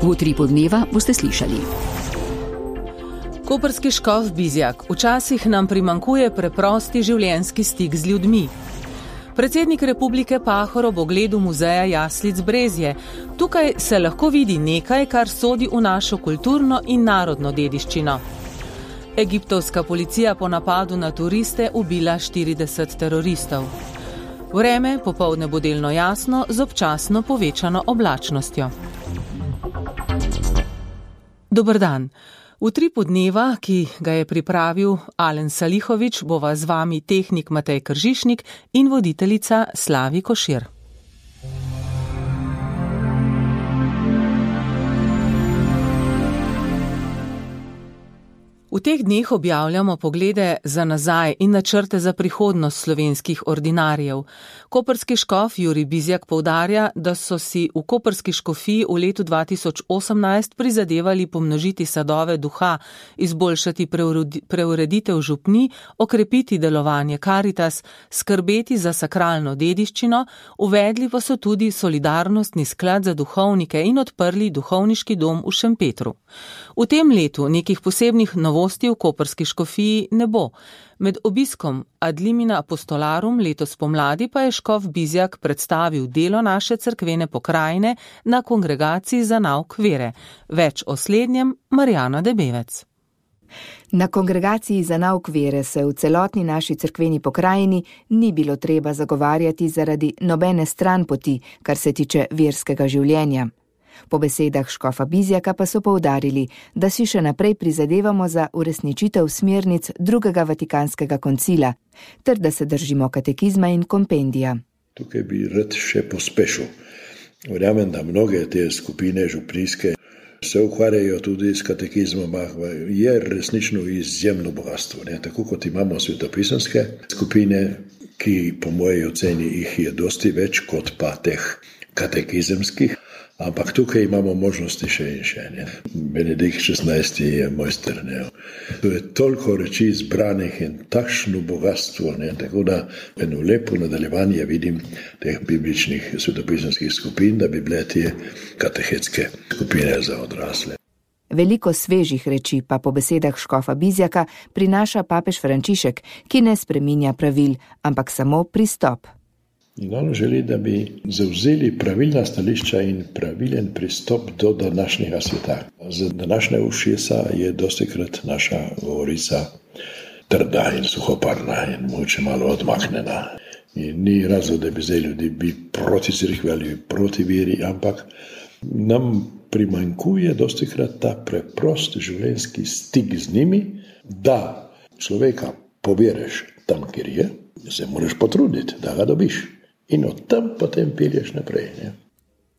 V Utripu dneva boste slišali. Koprski škof Bizjak: včasih nam primanjkuje preprosti življenjski stik z ljudmi. Predsednik republike Pahor ob ogledu muzeja jaslic Brezje. Tukaj se lahko vidi nekaj, kar sodi v našo kulturno in narodno dediščino. Egiptovska policija po napadu na turiste ubila 40 teroristov. Vreme popoldne bo delno jasno z občasno povečano oblačnostjo. Dober dan. V Utripu dneva, ki ga je pripravil Alen Salihovič, bova z vami tehnik Matej Kržišnik in voditeljica Slavi Košir. V teh dneh objavljamo poglede za nazaj in načrte za prihodnost slovenskih ordinarjev. Koprski škof Jurij Bizjak poudarja, da so si v koprski škofiji v letu 2018 prizadevali pomnožiti sadove duha, izboljšati preureditev župnij, okrepiti delovanje Karitas, skrbeti za sakralno dediščino, uvedli pa so tudi solidarnostni sklad za duhovnike in odprli duhovniški dom v Šempetru. V tem letu nekih posebnih novosti v koprski škofiji ne bo. Med obiskom Ad limina apostolarum letos pomladi pa je škof Bizjak predstavil delo naše cerkvene pokrajine na kongregaciji za nauk vere. Več o slednjem Marjana Debevec. Na kongregaciji za nauk vere se v celotni naši cerkveni pokrajini ni bilo treba zagovarjati zaradi nobene stranpoti, kar se tiče verskega življenja. Po besedah škofa Bizjaka pa so poudarili, da si še naprej prizadevamo za uresničitev smernic drugega vatikanskega koncila, ter da se držimo katekizma in kompendija. Tukaj bi rad še pospešil. Verjamem, da mnoge te skupine župnijske se ukvarjajo tudi s katekizmom, je resnično izjemno bogatstvo. Tako kot imamo svetopisanske skupine, ki po moji oceni jih je dosti več kot pa teh katekizemskih. Ampak tukaj imamo možnosti še in še. Benedikt XVI je mojster. To je toliko reči zbranih in takšno bogatstvo. Tako da eno lepo nadaljevanje vidim teh bibličnih svetopisanskih skupin, da bi bile te katehetske skupine za odrasle. Veliko svežih reči pa po besedah škofa Bizjaka prinaša papež Frančišek, ki ne spreminja pravil, ampak samo pristop. In on želi, da bi zavzeli pravilna stališča in pravilen pristop do današnjega sveta. Za današnje ušesa je dostikrat naša govorica trda in suhoparna in mogoče malo odmaknjena. In ni razlog, da bi zdaj ljudi bi proti cerkvi ali proti veri, ampak nam primanjkuje dostikrat ta preprost življenjski stik z njimi, da človeka pobereš tam, kjer je, se moraš potruditi, da ga dobiš. In od tam potem pelješ naprej.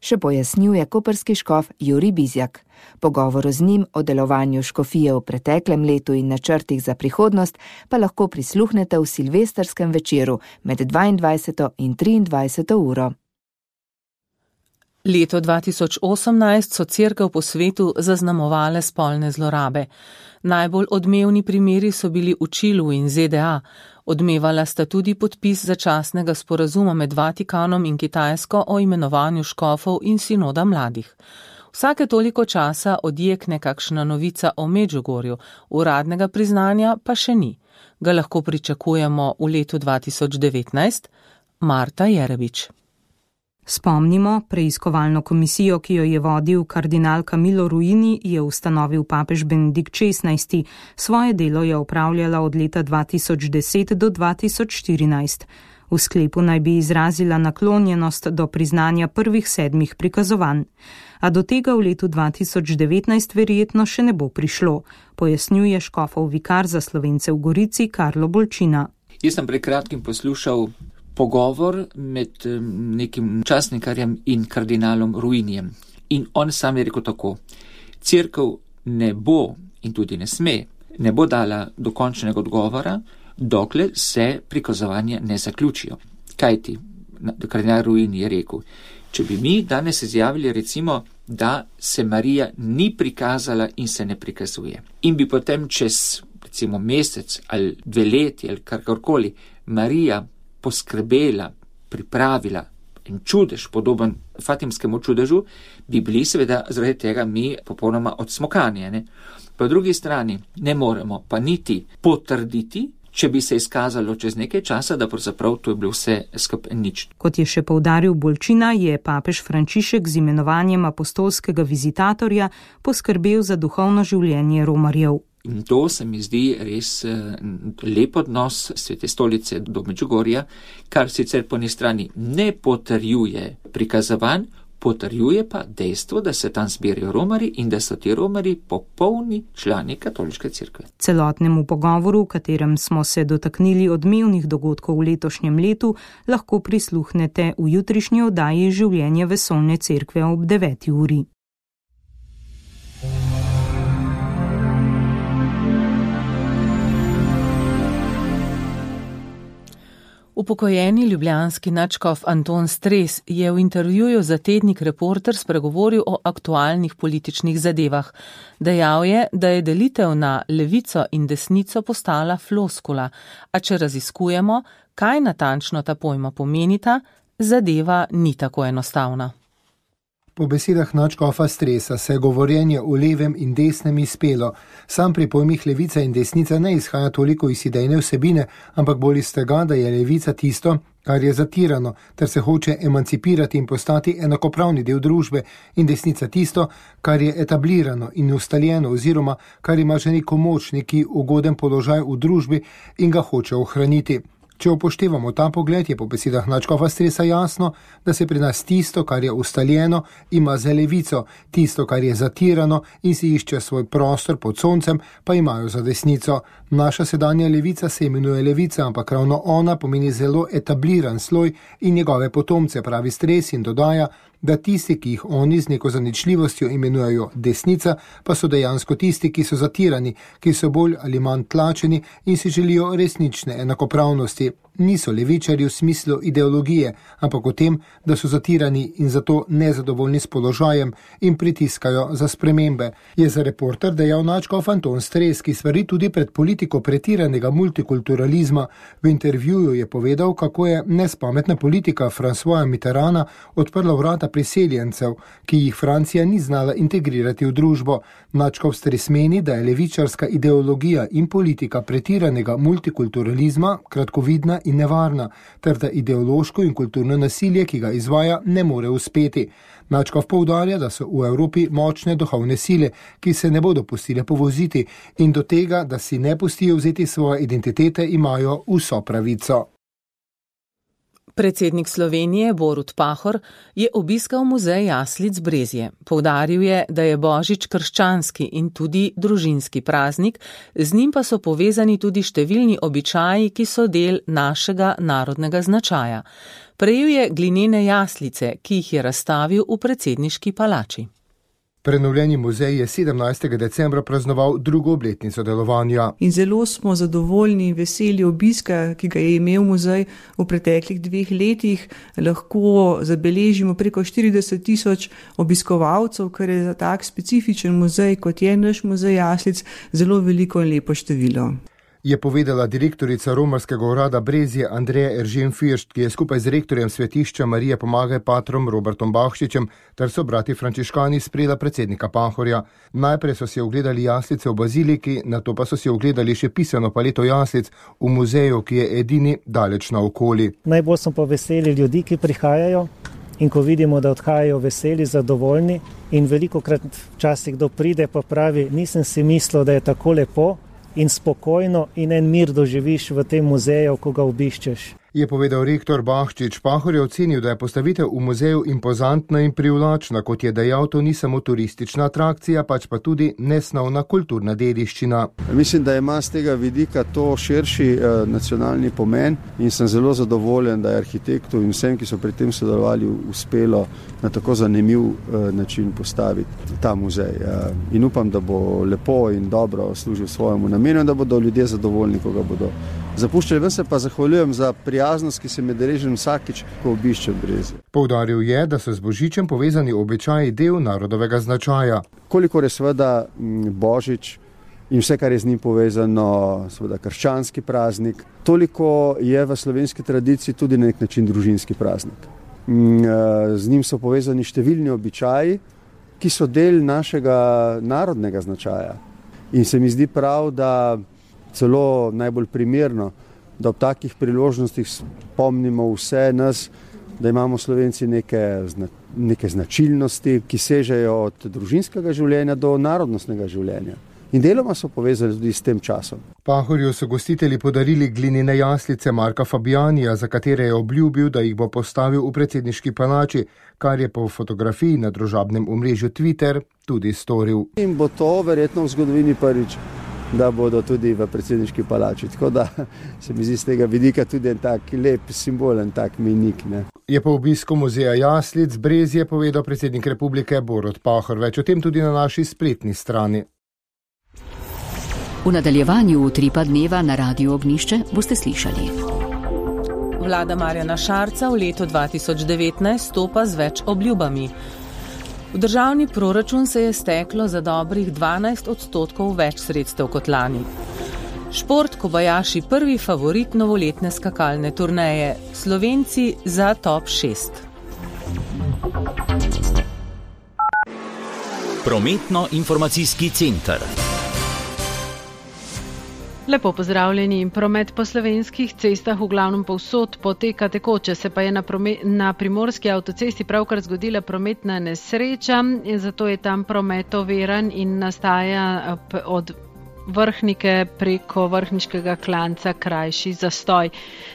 Še pojasnjuje koprski škof Jurij Bizjak. Pogovoru z njim o delovanju škofije v preteklem letu in načrtih za prihodnost pa lahko prisluhnete v silvestrskem večeru med 22. in 23. uro. Leto 2018 so cerkev po svetu zaznamovale spolne zlorabe. Najbolj odmevni primeri so bili v Čilu in ZDA. Odmevala sta tudi podpis začasnega sporazuma med Vatikanom in Kitajsko o imenovanju škofov in sinoda mladih. Vsake toliko časa odjekne kakšna novica o Medžugorju, uradnega priznanja pa še ni. Ga lahko pričakujemo v letu 2019? Marta Jerebič. Spomnimo, preiskovalno komisijo, ki jo je vodil kardinal Camillo Ruini, je ustanovil papež Benedikt XVI. Svoje delo je opravljala od leta 2010 do 2014. V sklepu naj bi izrazila naklonjenost do priznanja prvih 7 prikazovanj. A do tega v letu 2019 verjetno še ne bo prišlo, pojasnjuje škofov vikar za Slovence v Gorici Karlo Bolčina. Jaz sem pred kratkim poslušal pogovor med nekim časnikarjem in kardinalom Ruinijem. In on sam je rekel tako: cerkev ne bo in tudi ne sme, ne bo dala dokončnega odgovora, dokler se prikazovanja ne zaključijo. Kajti, kardinal Ruini je rekel, če bi mi danes izjavili recimo, da se Marija ni prikazala in se ne prikazuje, in bi potem čez recimo mesec ali 2 leti ali karkoli Marija poskrbela, pripravila en čudež, podoben fatimskemu čudežu, bi bili seveda zaradi tega mi popolnoma odsmokani. Ne? Po drugi strani ne moremo pa niti potrditi, če bi se izkazalo čez nekaj časa, da pravzaprav to je bilo vse skupaj nič. Kot je še poudaril Bolčina, je papež Frančišek z imenovanjem apostolskega vizitatorja poskrbel za duhovno življenje Romarjev. In to se mi zdi res lep odnos Svete stolice do Medžugorja, kar sicer po eni strani ne potrjuje prikazovanj, potrjuje pa dejstvo, da se tam zbirajo Romari in da so ti Romari popolni člani katoliške cerkve. Celotnemu pogovoru, v katerem smo se dotaknili odmevnih dogodkov v letošnjem letu, lahko prisluhnete v jutrišnji oddaji Življenje vesoljne cerkve ob 9. uri. Upokojeni ljubljanski nadškof Anton Stres je v intervjuju za tednik Reporter spregovoril o aktualnih političnih zadevah. Dejal je, da je delitev na levico in desnico postala floskula, a če raziskujemo, kaj natančno ta pojma pomenita, zadeva ni tako enostavna. Po besedah nadškofa Stresa se je govorjenje o levem in desnem izpelo. Sam pri pojmih levica in desnica ne izhaja toliko iz idejne vsebine, ampak bolj iz tega, da je levica tisto, kar je zatirano, ter se hoče emancipirati in postati enakopravni del družbe, in desnica tisto, kar je etablirano in ustaljeno oziroma kar ima že neko moč, neki ugoden položaj v družbi in ga hoče ohraniti. Če upoštevamo ta pogled, je po besedah nadškofa Stresa jasno, da se pri nas tisto, kar je ustaljeno, ima za levico, tisto, kar je zatirano in si išče svoj prostor pod soncem, pa imajo za desnico. Naša sedanja levica se imenuje levica, ampak ravno ona pomeni zelo etabliran sloj in njegove potomce, pravi Stres in dodaja, da tisti, ki jih oni z neko zaničljivostjo imenujejo desnica, pa so dejansko tisti, ki so zatirani, ki so bolj ali manj tlačeni in si želijo resnične enakopravnosti. Niso levičarji v smislu ideologije, ampak v tem, da so zatirani in zato nezadovoljni s položajem in pritiskajo za spremembe. Je za Reporter dejal nadškof Anton Stres, ki svari tudi pred politiko pretiranega multikulturalizma. V intervjuju je povedal, kako je nespametna politika Françoisa Mitterranda odprla vrata priseljencev, ki jih Francija ni znala integrirati v družbo. Nadškof Stres meni, da je levičarska ideologija in politika pretiranega multikulturalizma kratkovidna in nevarna, ter da ideološko in kulturno nasilje, ki ga izvaja, ne more uspeti. Nadškof poudarja, da so v Evropi močne duhovne sile, ki se ne bodo pustile povoziti in do tega, da si ne pustijo vzeti svoje identitete, imajo vso pravico. Predsednik Slovenije Borut Pahor je obiskal muzej jaslic Brezje. Poudaril je, da je Božič krščanski in tudi družinski praznik, z njim pa so povezani tudi številni običaji, ki so del našega narodnega značaja. Prejel je glinene jaslice, ki jih je razstavil v predsedniški palači. Prenovljeni muzej je 17. decembra praznoval drugo obletnico delovanja. In zelo smo zadovoljni in veseli obiska, ki ga je imel muzej v preteklih 2 letih. Lahko zabeležimo preko 40,000 obiskovalcev, kar je za tak specifičen muzej, kot je naš muzej jaslic, zelo veliko in lepo število. Je povedala direktorica romarskega urada Brezje Andreja Eržen-Firšt, ki je skupaj z rektorjem svetišča Marije Pomagaj patrom Robertom Bahšičem ter sobrati frančiškani sprejela predsednika Pahorja. Najprej so si ogledali jaslice v baziliki, nato pa so si ogledali še pisano paleto jaslic v muzeju, ki je edini daleč naokoli. Najbolj smo pa veseli ljudi, ki prihajajo in ko vidimo, da odhajajo veseli, zadovoljni in velikokrat včasih kdo pride pa pravi, nisem si mislil, da je tako lepo in spokojno in en mir doživiš v tem muzeju, ko ga obiščeš. Je povedal rektor Bahšič. Pahor je ocenil, da je postavitev v muzeju impozantna in privlačna, kot je dejal, to ni samo turistična atrakcija, pač pa tudi nesnovna kulturna dediščina. Mislim, da ima z tega vidika to širši nacionalni pomen in sem zelo zadovoljen, da je arhitektu in vsem, ki so pri tem sodelovali, uspelo na tako zanimiv način postaviti ta muzej. In upam, da bo lepo in dobro služil svojemu namenu in da bodo ljudje zadovoljni, ko ga bodo zapuščali. Ven se pa zahvaljujem za prijaznost, ki se me deležim vsakič, ko obiščem Brezje. Poudaril je, da so z Božičem povezani običaji del narodovega značaja. Kolikor je seveda Božič in vse, kar je z njim povezano, seveda krščanski praznik, toliko je v slovenski tradiciji tudi na nek način družinski praznik. z njim so povezani številni običaji, ki so del našega narodnega značaja. In se mi zdi prav, da celo najbolj primerno, da ob takih priložnostih spomnimo vse nas, da imamo Slovenci neke značilnosti, ki sežejo od družinskega življenja do narodnostnega življenja. In deloma so povezali tudi s tem časom. Pahorju so gostitelji podarili glinene jaslice Marka Fabijanija, za katere je obljubil, da jih bo postavil v predsedniški palači, kar je po fotografiji na družabnem omrežju Twitter tudi storil. In bo to verjetno v zgodovini prvič, da bodo tudi v predsedniški palači. Tako da se mi zdi z tega vidika tudi en tak lep simbol, en tak mejnik. Je po obisku muzeja jaslic Brezje povedal predsednik republike Borut Pahor. Več o tem tudi na naši spletni strani. V nadaljevanju Utripa dneva na Radiu Ognjišče boste slišali. Vlada Marjana Šarca v letu 2019 stopa z več obljubami. V državni proračun se je steklo za dobrih 12% več sredstev kot lani. Šport Kobajaši prvi favorit novoletne skakalne turneje. Slovenci za top 6. Prometno-informacijski center. Lepo pozdravljeni. Promet po slovenskih cestah v glavnem povsod poteka tekoče, se pa je na primorski avtocesti pravkar zgodila prometna nesreča, zato je tam promet oviran in nastaja od Vrhnike preko Vrhniškega klanca krajši zastoj.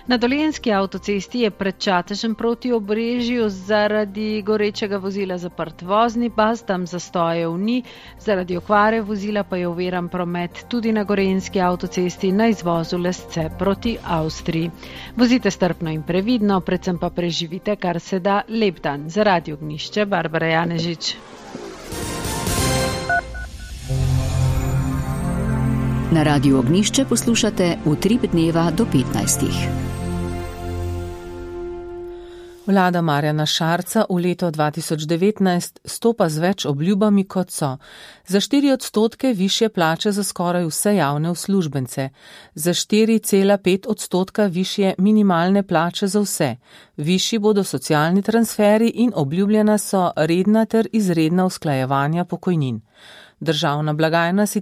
Na Dolenjski avtocesti je pred Čatežem proti Obrežju zaradi gorečega vozila zaprt vozni pas, tam zastojev ni, zaradi okvare vozila pa je oviran promet tudi na Gorenjski avtocesti na izvozu Lesce proti Avstriji. Vozite strpno in previdno, predvsem pa preživite kar se da lep dan. Za Radio Ognjišče, Barbara Janežič. Na Radiu Ognjišče poslušate Utrip dneva do 15. Vlada Marjana Šarca v leto 2019 stopa z več obljubami kot so. Za 4% višje plače za skoraj vse javne uslužbence. Za 4,5% višje minimalne plače za vse. Višji bodo socialni transferi in obljubljena so redna ter izredna usklajevanja pokojnin. Državna blagajna si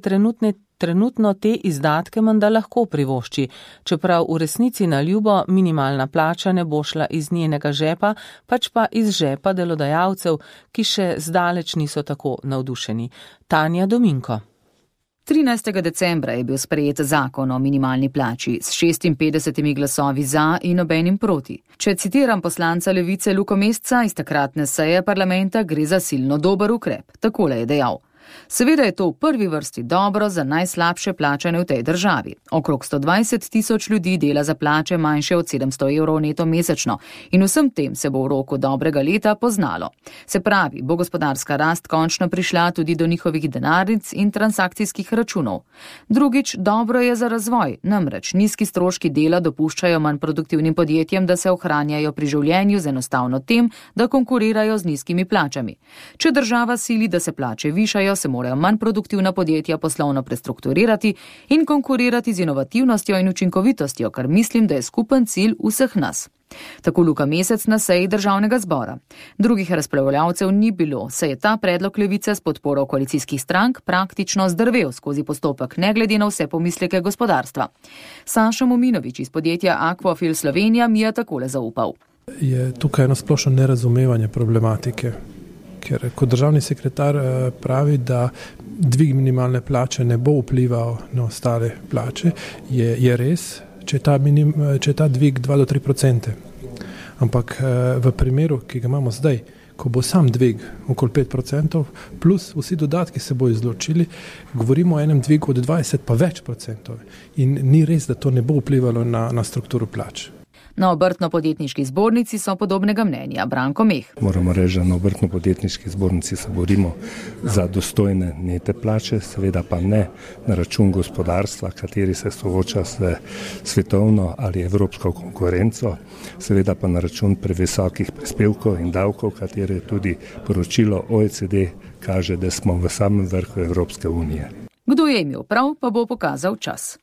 trenutno te izdatke menda lahko privošči, čeprav v resnici na ljubo minimalna plača ne bo šla iz njenega žepa, pač pa iz žepa delodajalcev, ki še zdaleč niso tako navdušeni. Tanja Dominko. 13. decembra je bil sprejet zakon o minimalni plači s 56 glasovi za in nobenim proti. Če citiram poslanca Levice Luko Mesca iz takratne seje parlamenta, gre za silno dober ukrep. Takole je dejal. Seveda je to v prvi vrsti dobro za najslabše plačane v tej državi. Okrog 120 tisoč ljudi dela za plače manjše od 700 evrov neto mesečno in vsem tem se bo v roku dobrega leta poznalo. Se pravi, bo gospodarska rast končno prišla tudi do njihovih denarnic in transakcijskih računov. Drugič, dobro je za razvoj, namreč nizki stroški dela dopuščajo manj produktivnim podjetjem, da se ohranjajo pri življenju z enostavno tem, da konkurirajo z nizkimi plačami. Če država sili, da se plače višajo, se morajo manj produktivna podjetja poslovno prestrukturirati in konkurirati z inovativnostjo in učinkovitostjo, kar mislim, da je skupen cilj vseh nas. Tako Luka Mesec na seji državnega zbora. Drugih razpravljavcev ni bilo, saj je ta predlog Levice s podporo koalicijskih strank praktično zdrvel skozi postopek, ne glede na vse pomisleke gospodarstva. Saša Mominovič iz podjetja Aquafil Slovenija mi je takole zaupal. Je tukaj eno splošno nerazumevanje problematike. Ker kot državni sekretar pravi, da dvig minimalne plače ne bo vplival na ostale plače, je res, če je ta dvig 2 do 3%. Ampak v primeru, ki ga imamo zdaj, ko bo sam dvig okoli 5%, plus vsi dodatki se bo izločili, govorimo o enem dvigu od 20 pa več %. In ni res, da to ne bo vplivalo na strukturo plač. Na Obrtno-podjetniški zbornici so podobnega mnenja. Branko Meh. Moramo reči, da na Obrtno-podjetniški zbornici se borimo za dostojne nete plače, seveda pa ne na račun gospodarstva, kateri se sooča s svetovno ali evropsko konkurenco, seveda pa na račun previsokih prispevkov in davkov, katere tudi poročilo OECD kaže, da smo v samem vrhu Evropske unije. Kdo je imel prav, pa bo pokazal čas.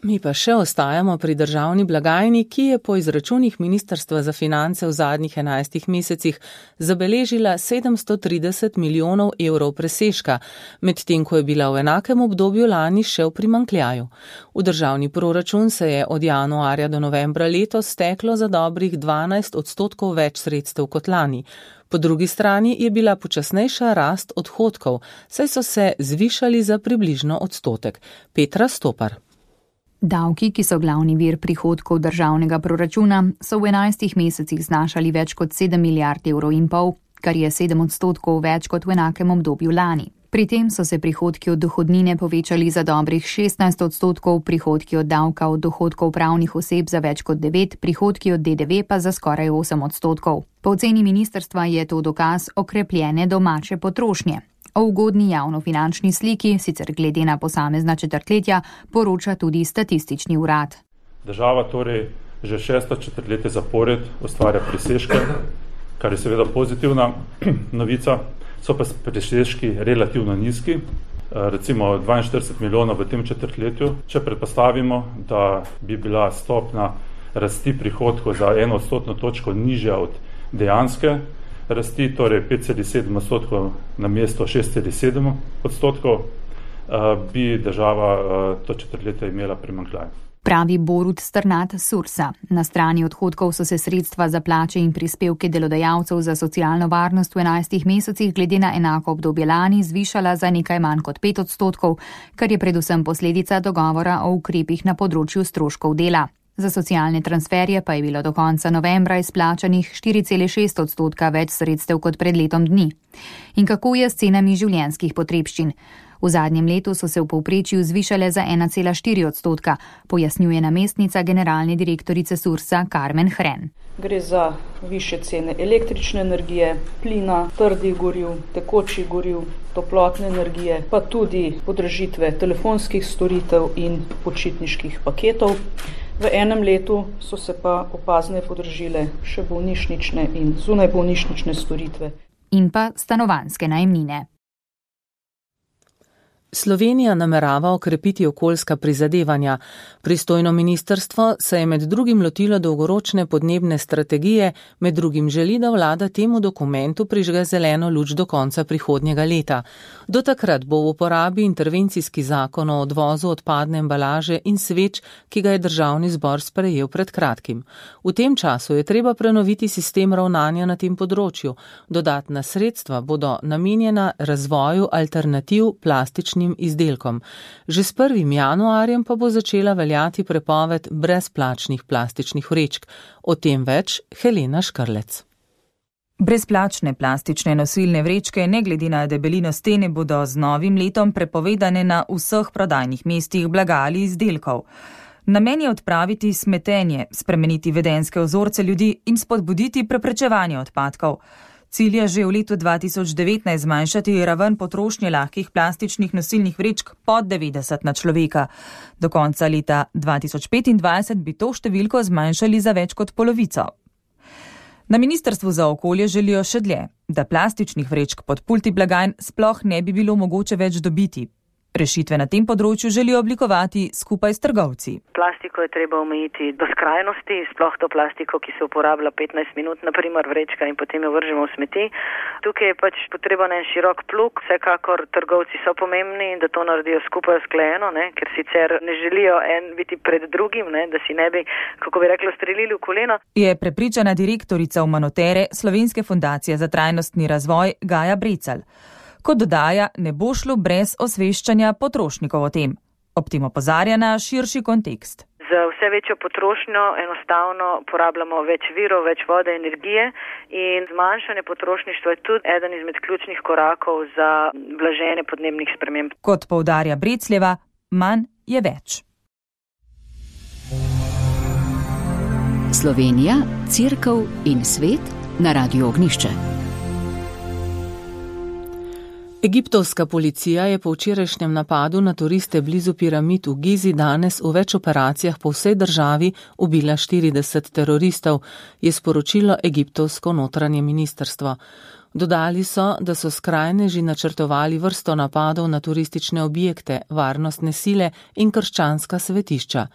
Mi pa še ostajamo pri državni blagajni, ki je po izračunih Ministrstva za finance v zadnjih 11 mesecih zabeležila 730 milijonov evrov presežka, medtem ko je bila v enakem obdobju lani še v primanjkljaju. V državni proračun se je od januarja do novembra letos steklo za dobrih 12% več sredstev kot lani. Po drugi strani je bila počasnejša rast odhodkov, saj so se zvišali za približno odstotek. Petra Stopar. Davki, ki so glavni vir prihodkov državnega proračuna, so v 11 mesecih znašali več kot 7 milijard evrov in pol, kar je 7% več kot v enakem obdobju lani. Pri tem so se prihodki od dohodnine povečali za dobrih 16%, prihodki od davka od dohodkov pravnih oseb za več kot 9%, prihodki od DDV pa za skoraj 8%. Po oceni ministrstva je to dokaz okrepljene domače potrošnje. O ugodni javnofinančni sliki, sicer glede na posamezna četrtletja, poroča tudi statistični urad. Država torej že 6. četrtletje zapored ustvarja presežke, kar je seveda pozitivna novica, so pa presežki relativno nizki, recimo 42 milijonov v tem četrtletju. Če predpostavimo, da bi bila stopna rasti prihodkov za 1% točko nižja od dejanske rasti, torej 5,7% na mesto 6,7%, bi država to četrtletje imela primanjkljaj. Pravi Borut Strnad Sursa. Na strani odhodkov so se sredstva za plače in prispevke delodajalcev za socialno varnost v 11 mesecih glede na enako obdobje lani zvišala za nekaj manj kot 5%, kar je predvsem posledica dogovora o ukrepih na področju stroškov dela. Za socialne transferje pa je bilo do konca novembra izplačanih 4,6% več sredstev kot pred letom dni. In kako je s cenami življenjskih potrebščin? V zadnjem letu so se v povprečju zvišale za 1,4%, pojasnjuje namestnica generalne direktorice Sursa Karmen Hren. Gre za više cene električne energije, plina, trdih goriv, tekočih goriv, toplotne energije, pa tudi podražitve telefonskih storitev in počitniških paketov. V enem letu so se pa opazne podražile še bolnišnične in zunajbolnišnične storitve. In pa stanovanjske najemnine. Slovenija namerava okrepiti okoljska prizadevanja. Pristojno ministrstvo se je med drugim lotilo dolgoročne podnebne strategije, med drugim želi, da vlada temu dokumentu prižge zeleno luč do konca prihodnjega leta. Do takrat bo v uporabi intervencijski zakon o odvozu odpadne embalaže in sveč, ki ga je državni zbor sprejel pred kratkim. V tem času je treba prenoviti sistem ravnanja na tem področju. Dodatna sredstva bodo namenjena razvoju alternativ plastičnim izdelkom. Že s 1. januarjem pa bo začela veljati prepoved brezplačnih plastičnih vrečk. O tem več Helena Škrlec. Brezplačne plastične nosilne vrečke, ne glede na debelino stene, bodo z novim letom prepovedane na vseh prodajnih mestih blaga ali izdelkov. Namen je odpraviti smetenje, spremeniti vedenjske vzorce ljudi in spodbuditi preprečevanje odpadkov. Cilj je že v letu 2019 zmanjšati raven potrošnje lahkih plastičnih nosilnih vrečk pod 90 na človeka. Do konca leta 2025 bi to številko zmanjšali za več kot polovico. Na Ministrstvu za okolje želijo še dlje, da plastičnih vrečk pod pulti blagajn sploh ne bi bilo mogoče več dobiti. Rešitve na tem področju želijo oblikovati skupaj s trgovci. Plastiko je treba omejiti do skrajnosti, sploh to plastiko, ki se uporablja 15 minut, naprimer vrečka, in potem jo vržemo v smeti. Tukaj je pač potreben en širok plug, vsekakor trgovci so pomembni, da to naredijo skupaj usklajeno, ker sicer ne želijo en biti pred drugim, da si ne bi, kako bi rekla, strelili v koleno. Je prepričana direktorica Umanotere Slovenske fundacije za trajnostni razvoj Gaja Brecelj. Kot dodaja, ne bo šlo brez osveščanja potrošnikov o tem. Ob tem opozarja na širši kontekst. Za vse večjo potrošnjo enostavno porabljamo več virov, več vode, energije in zmanjšanje potrošništva je tudi eden izmed ključnih korakov za blaženje podnebnih sprememb. Kot poudarja Brecljeva, manj je več. Slovenija, Cerkev in svet na Radiu Ognjišče. Egiptovska policija je po včerajšnjem napadu na turiste blizu piramid v Gizi danes v več operacijah po vsej državi ubila 40 teroristov, je sporočilo egiptovsko notranje ministrstvo. Dodali so, da so skrajneži načrtovali vrsto napadov na turistične objekte, varnostne sile in krščanska svetišča.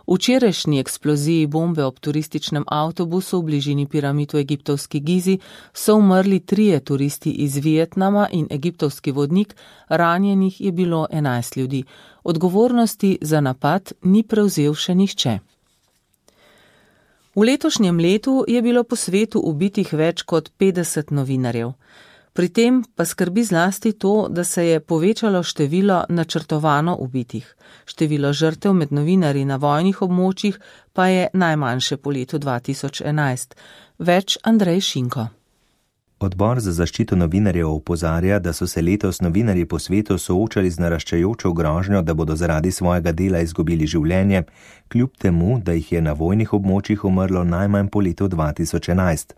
V včerajšnji eksploziji bombe ob turističnem avtobusu v bližini piramid v egiptovski Gizi so umrli 3 turisti iz Vietnama in egiptovski vodnik, ranjenih je bilo 11 ljudi. Odgovornosti za napad ni prevzel še nihče. V letošnjem letu je bilo po svetu ubitih več kot 50 novinarjev. Pri tem pa skrbi zlasti to, da se je povečalo število načrtovano ubitih. Število žrtev med novinarji na vojnih območjih pa je najmanjše po letu 2011. Več Andrej Šinko. Odbor za zaščito novinarjev opozarja, da so se letos novinarji po svetu soočali z naraščajočo grožnjo, da bodo zaradi svojega dela izgubili življenje, kljub temu, da jih je na vojnih območjih umrlo najmanj po letu 2011.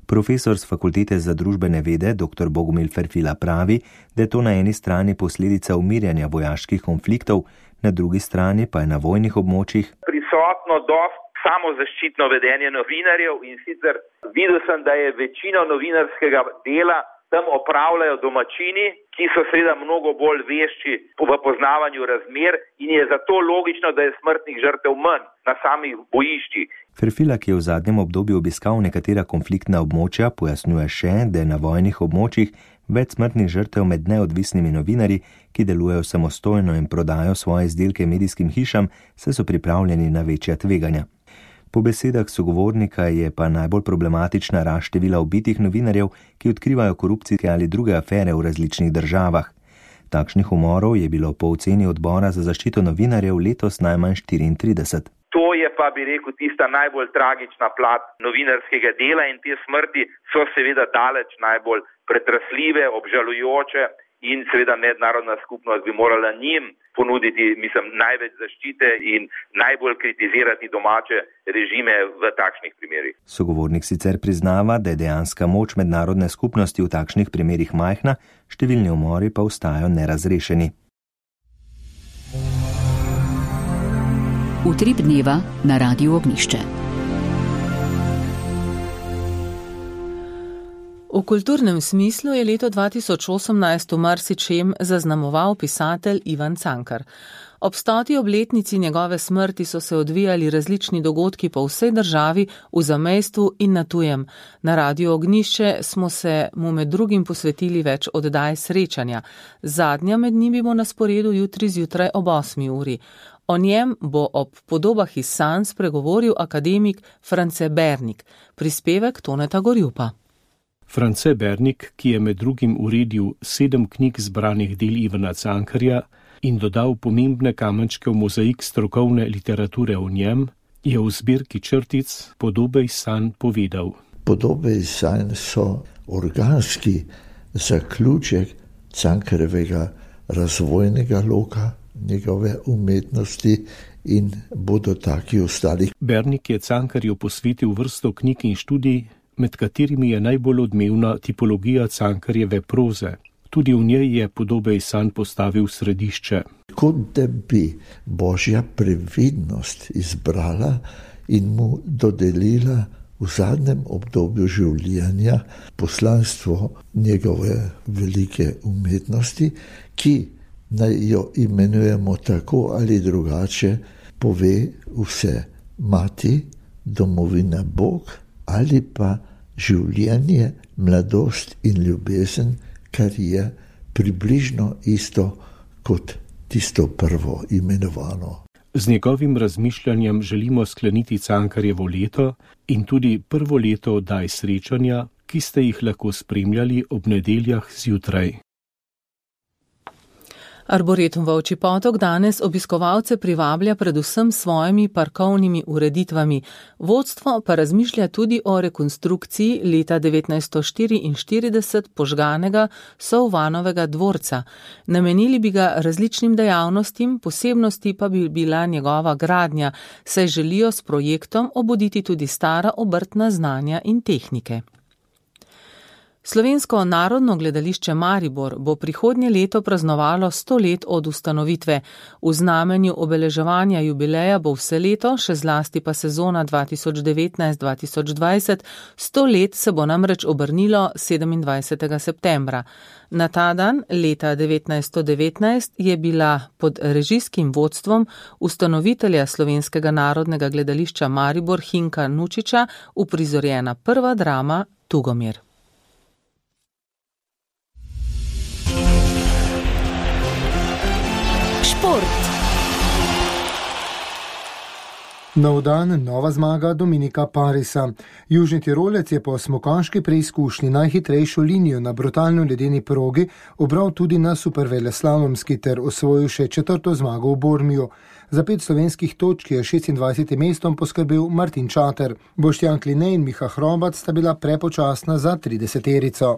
Profesor z Fakultete za družbene vede dr. Bogomil Ferfila pravi, da je to na eni strani posledica umirjanja vojaških konfliktov, na drugi strani pa je na vojnih območjih prisotno dosti samozaščitno vedenje novinarjev in sicer videl sem, da je večino novinarskega dela tam opravljajo domačini, ki so seveda mnogo bolj vešči v poznavanju razmer in je zato logično, da je smrtnih žrtev manj na samih bojiščih. Ferfila, ki je v zadnjem obdobju obiskal nekatera konfliktna območja, pojasnjuje še, da je na vojnih območjih več smrtnih žrtev med neodvisnimi novinarji, ki delujejo samostojno in prodajo svoje izdelke medijskim hišam, saj so pripravljeni na večja tveganja. Po besedah sogovornika je pa najbolj problematična rast števila ubitih novinarjev, ki odkrivajo korupcijske ali druge afere v različnih državah. Takšnih umorov je bilo po oceni odbora za zaščito novinarjev letos najmanj 34. To je pa, bi rekel, tista najbolj tragična plat novinarskega dela in te smrti so seveda daleč najbolj pretresljive, obžalujoče in seveda mednarodna skupnost bi morala njim ponuditi, največ zaščite in najbolj kritizirati domače režime v takšnih primerih. Sogovornik sicer priznava, da je dejanska moč mednarodne skupnosti v takšnih primerih majhna, številni umori pa ostajajo nerazrešeni. Utrip dneva na Radiu Ognjišče. V kulturnem smislu je leto 2018 v marsičem zaznamoval pisatelj Ivan Cankar. Ob 100. obletnici njegove smrti so se odvijali različni dogodki po vsej državi, v zamejstvu in na tujem. Na Radiu Ognjišče smo se mu med drugim posvetili več oddaj srečanja. Zadnja med njimi bo na sporedu jutri zjutraj ob 8. uri. O njem bo ob podobah iz sanj spregovoril akademik France Bernik, prispevek Toneta Gorjupa. France Bernik, ki je med drugim uredil 7 knjig zbranih del Ivana Cankarja in dodal pomembne kamenčke v mozaik strokovne literature o njem, je v zbirki črtic Podobe iz sanj povedal. Podobe iz sanj so organski zaključek Cankarjevega razvojnega loka, njegove umetnosti in bodo taki ostali. Bernik je Cankarju posvetil vrsto knjig in študij, med katerimi je najbolj odmevna tipologija Cankarjeve proze. Tudi v njej je Podobe iz sanj postavil središče. Kot da bi Božja previdnost izbrala in mu dodelila v zadnjem obdobju življenja poslanstvo njegove velike umetnosti, ki naj jo imenujemo tako ali drugače, pove vse: mati, domovina, Bog, ali pa življenje, mladost in ljubezen, kar je približno isto kot tisto prvo imenovano. Z njegovim razmišljanjem želimo skleniti Cankarjevo leto in tudi prvo leto oddaj srečanja, ki ste jih lahko spremljali ob nedeljah zjutraj. Arboretum Volčji Potok danes obiskovalce privablja predvsem svojimi parkovnimi ureditvami. Vodstvo pa razmišlja tudi o rekonstrukciji leta 1944 požganega Sovvanovega dvorca. Namenili bi ga različnim dejavnostim, posebnosti pa bi bila njegova gradnja, saj želijo s projektom obuditi tudi stara obrtna znanja in tehnike. Slovensko narodno gledališče Maribor bo prihodnje leto praznovalo 100 let od ustanovitve. V znamenju obeleževanja jubileja bo vse leto, še zlasti pa sezona 2019-2020, 100 let se bo namreč obrnilo 27. septembra. Na ta dan, leta 1919, je bila pod režijskim vodstvom ustanovitelja Slovenskega narodnega gledališča Maribor Hinka Nučiča uprizorjena prva drama Tugomir. Nov dan, nova zmaga Dominika Parisa. Južni Tirolec je po smukaški preizkušnji najhitrejšo linijo na brutalno ledeni progi obral tudi na superveleslalomski ter osvojil še 4. zmago v Bormiju. Za 5 slovenskih točk je 26. mestom poskrbel Martin Čater. Boštjan Kline in Miha Hrobat sta bila prepočasna za 30-terico.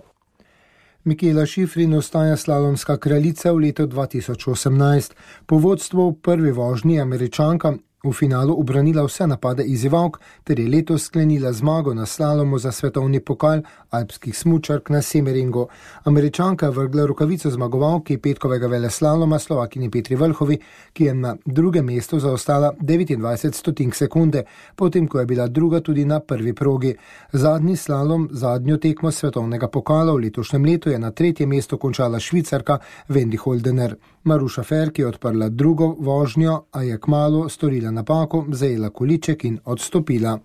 Mikela Šifrin ostaja slalomska kraljica v letu 2018. Po vodstvu v prvi vožnji Američanka v finalu ubranila vse napade izzivalk ter je letos sklenila zmago na slalomu za svetovni pokal alpskih smučark na Semeringu. Američanka je vrgla rokavico zmagovalki petkovega veleslaloma Slovakini Petri Vlhovi, ki je na drugem mestu zaostala 29 stotink sekunde, potem ko je bila druga tudi na prvi progi. Zadnji slalom, zadnjo tekmo svetovnega pokala v letošnjem letu je na 3. mestu končala Švicarka Wendy Holdener. Maruša Ferk je odprla drugo vožnjo, a je kmalu storila napako, zajela količek in odstopila.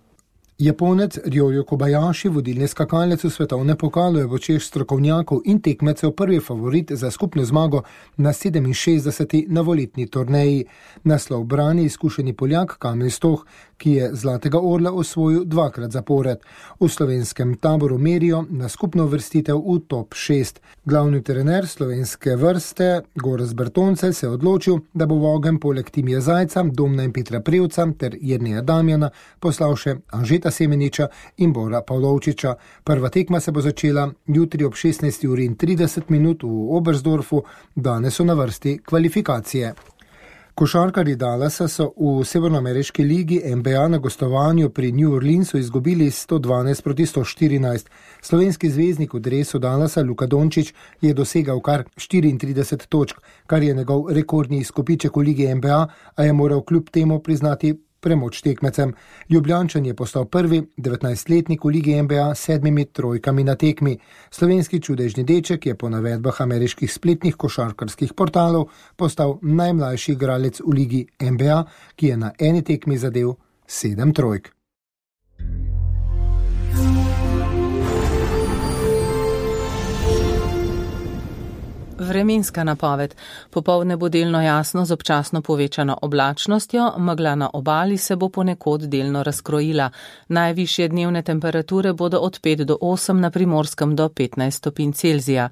Japonec Ryoyo Kobayashi, vodilni skakalec v svetovnem pokalu, je v očeh strokovnjakov in tekmecev prvi favorit za skupno zmago na 67. novoletni turneji. Naslov brani izkušeni Poljak Kamil Stoh, ki je zlatega orla osvojil 2-krat zapored. V slovenskem taboru merijo na skupno uvrstitev v top 6. Glavni trener slovenske vrste Gorazd Bertoncelj se je odločil, da bo v ogenj poleg Timija Zajca, Domna in Petra Prevca ter Jerneja Damjana poslal še Anžeta Semeniča in Bora Pavlovčiča. Prva tekma se bo začela jutri ob 16:30 v Oberstdorfu, danes so na vrsti kvalifikacije. Košarkarji Dallasa so v severnoameriški ligi NBA na gostovanju pri New Orleansu izgubili 112-114. Slovenski zvezdnik v dresu Dallasa Luka Dončić je dosegal kar 34 točk, kar je njegov rekordni izkupiček v ligi NBA, a je moral kljub temu priznati premoč tekmecem. Ljubljančan je postal prvi 19-letnik v ligi NBA s 7 trojkami na tekmi. Slovenski čudežni deček je po navedbah ameriških spletnih košarkarskih portalov postal najmlajši igralec v ligi NBA, ki je na eni tekmi zadel 7 trojk. Vremenska napoved. Popoldne bo delno jasno z občasno povečano oblačnostjo, megla na obali se bo ponekod delno razkrojila. Najvišje dnevne temperature bodo od 5 do 8, na Primorskem do 15 stopinj Celzija.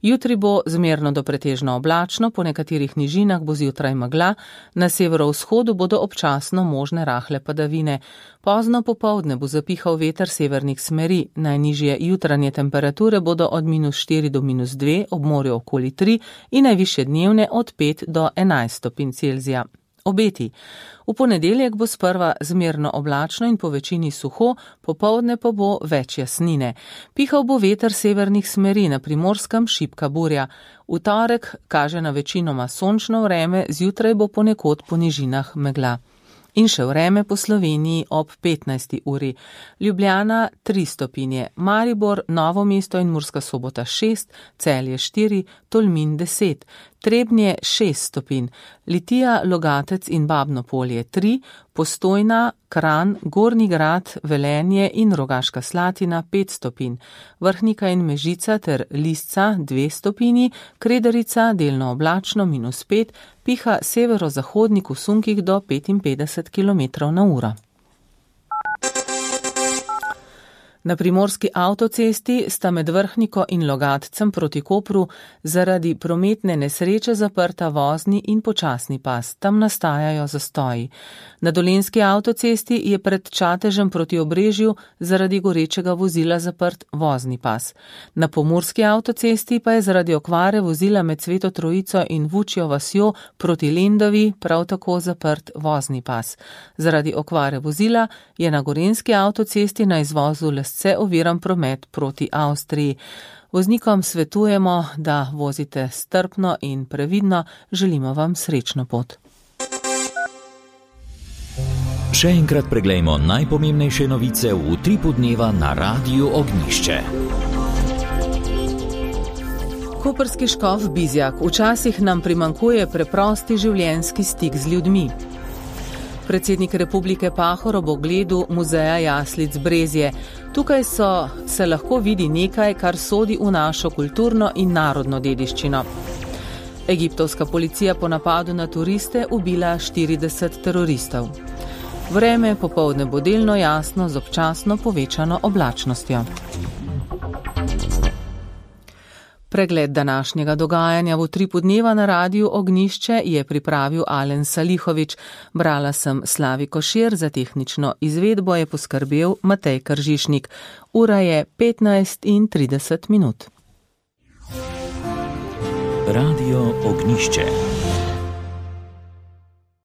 Jutri bo zmerno do pretežno oblačno, po nekaterih nižinah bo zjutraj megla, na severovzhodu bodo občasno možne rahle padavine. Pozno popoldne bo zapihal veter severnih smeri, najnižje jutranje temperature bodo od -4 do -2, ob morju okoli 3 in najvišje dnevne od 5 do 11 stopinj Celzija. Obeti. V ponedeljek bo sprva zmerno oblačno in po večini suho, popoldne pa bo več jasnine. Pihal bo veter severnih smeri, na Primorskem šibka burja. V torek kaže na večinoma sončno vreme, zjutraj bo ponekod po nižinah megla. In še vreme po Sloveniji ob 15. uri. Ljubljana 3 stopinje, Maribor, Novo mesto in Murska Sobota 6, Celje 4, Tolmin 10, Trebnje 6 stopinj, Litija, Logatec in Babno Polje 3, Postojna, Kranj, Gornji Grad, Velenje in Rogaška Slatina 5 stopinj, Vrhnika in Mežica ter Lisca 2 stopinji, Kredarica delno oblačno -5, piha severozahodnik v sunkih do 55 km/h. Na primorski avtocesti sta med Vrhniko in Logatcem proti Kopru zaradi prometne nesreče zaprta vozni in počasni pas. Tam nastajajo zastoji. Na dolenjski avtocesti je pred Čatežem proti Obrežju zaradi gorečega vozila zaprt vozni pas. Na pomurski avtocesti pa je zaradi okvare vozila med Sveto Trojico in Vučjo vasjo proti Lendavi prav tako zaprt vozni pas. Zaradi okvare vozila je na gorenjski avtocesti na izvozu mestece oviran promet proti Avstriji. Voznikom svetujemo, da vozite strpno in previdno, želimo vam srečno pot. Še enkrat preglejmo najpomembnejše novice v Utripu dneva na Radiu Ognjišče. Koprski škof Bizjak: včasih nam primanjkuje preprosti življenjski stik z ljudmi. Predsednik Republike Pahor ob ogledu muzeja jaslic Brezje. Tukaj se lahko vidi nekaj, kar sodi v našo kulturno in narodno dediščino. Egiptovska policija po napadu na turiste ubila 40 teroristov. Vreme popoldne bo delno jasno z občasno povečano oblačnostjo. Pregled današnjega dogajanja v Utripu dneva na Radiu Ognjišče je pripravil Alen Salihovič. Brala sem Slavi Košir, za tehnično izvedbo je poskrbel Matej Kržišnik. Ura je 15:30. Radio Ognjišče.